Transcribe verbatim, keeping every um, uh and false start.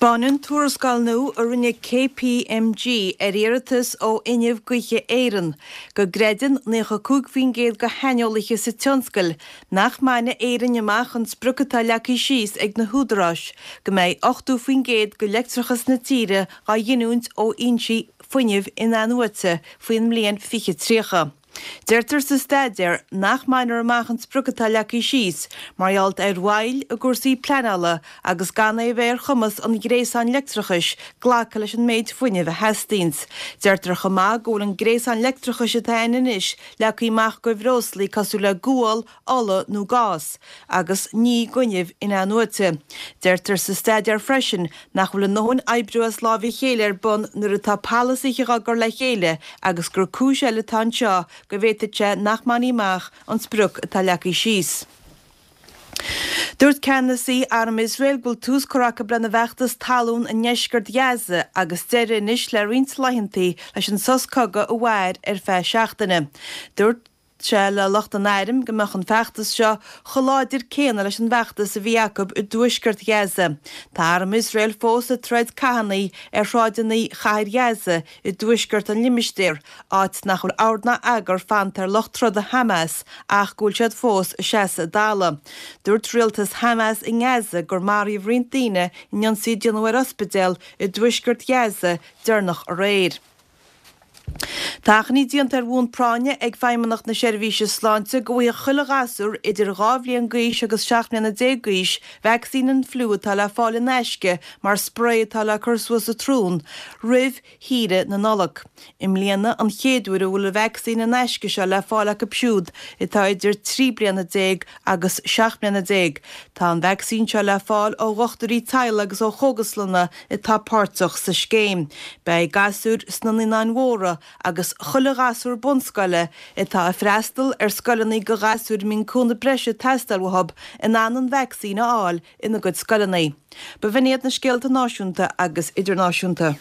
Taispeánann tuarascáil nua a rinne KPMG ar iarratas ó Fhuinneamh Gaoithe Éireann go gcreideann naocha cúig faoin gcéad de shaineolaithe sa tionscal nach mbainfidh Éirinn amach an sprioc atá leagtha síos ag na húdaráis go mbeidh ochtó faoin gcéad de leictreachas na tíre á ghiniúint ó fhoinsí fuinnimh in-athnuaite faoin mbliain fiche tríocha. Deirtear sa staidéar nach mbainfear amach an sprioc atá leagtha síos mar gheall ar mhoill i gcúrsaí pleanála agus gan é a bheith ar chumas an ghréasáin leictreachais glacadh leis an méid fuinnimh a theastaíonn. Deirtear chomh maith go bhfuil an gréasán leictreachais atá ann anois leagtha amach do bhreoslaí cosúil le gual, ola nó gás, agus ní d'fhuinneamh in-athnuaite. Deirtear sa staidéar freisin nach bhfuil a ndóthain oibriú as láimh a chéile ar bun nuair atá polasaithe á gcur le chéile agus gur cúis eile atá anseo go bhféadfadh sé nach mbainfí amach an sprioc atá leagtha síos. Dúirt ceannasaí arm Iosrael go bhfuil tús curtha acu lena bhfeachtas talún i ndeisceart Ghaza agus deireadh anois le roinnt laethanta leis an sos cogaidh a mhair ar feadh seachtaine. Dúirt sé le lucht an airm go mbeadh an feachtas seo chomh láidir céanna leis an bhfeachtas a bhí acu i dtuaisceart Ghaza. Tá arm Iosrael fós ag troid cathanna ar shráideanna chathair Ghaza i dtuaisceart an limistéir, áit nach bhfuil ord ná eagar fanta ar lucht troda Hamas ach go bhfuil siad fós ag seasamh a dtalamh. Dúirt rialtas Hamas i nGaza gur maraíodh roinnt daoine in ionsaí a déanadh ar ospidéal i dtuaisceart Ghaza deireanach aréir. Tá achainí déanta ar bhonn práinne ag Feidhmeannacht na Seirbhíse Sláinte go bhfaighidh chuile ghasúr idir dhá bhliain d'aois agus seacht mbliana déag d'aois vacsaín an fliú atá le fáil in aisce mar sprae atá le cur suas sa tsrón roimh shaoire na Nollag. I mbliana an chéad uair a bhfuil an vacsaín in aisce seo le fáil acu siúd atá idir trí bliana déag agus seacht mbliana déag. Tá an vacsaín seo le fáil ó dhochtúirí teaghlaigh agus ó chógaslanna atá páirteach sa scéim. Beidh gasúir sna Naíonáin Mhóra agus chuile ghasúr bunscoile atá ag freastal ar scoileanna do ghasúir a mbíonn cúnamh breise ag teastáil uathu in ann an vacsaín a fháil ina gcuid scoileanna. B'in iad na scéalta náisiúnta agus idirnáisiúnta.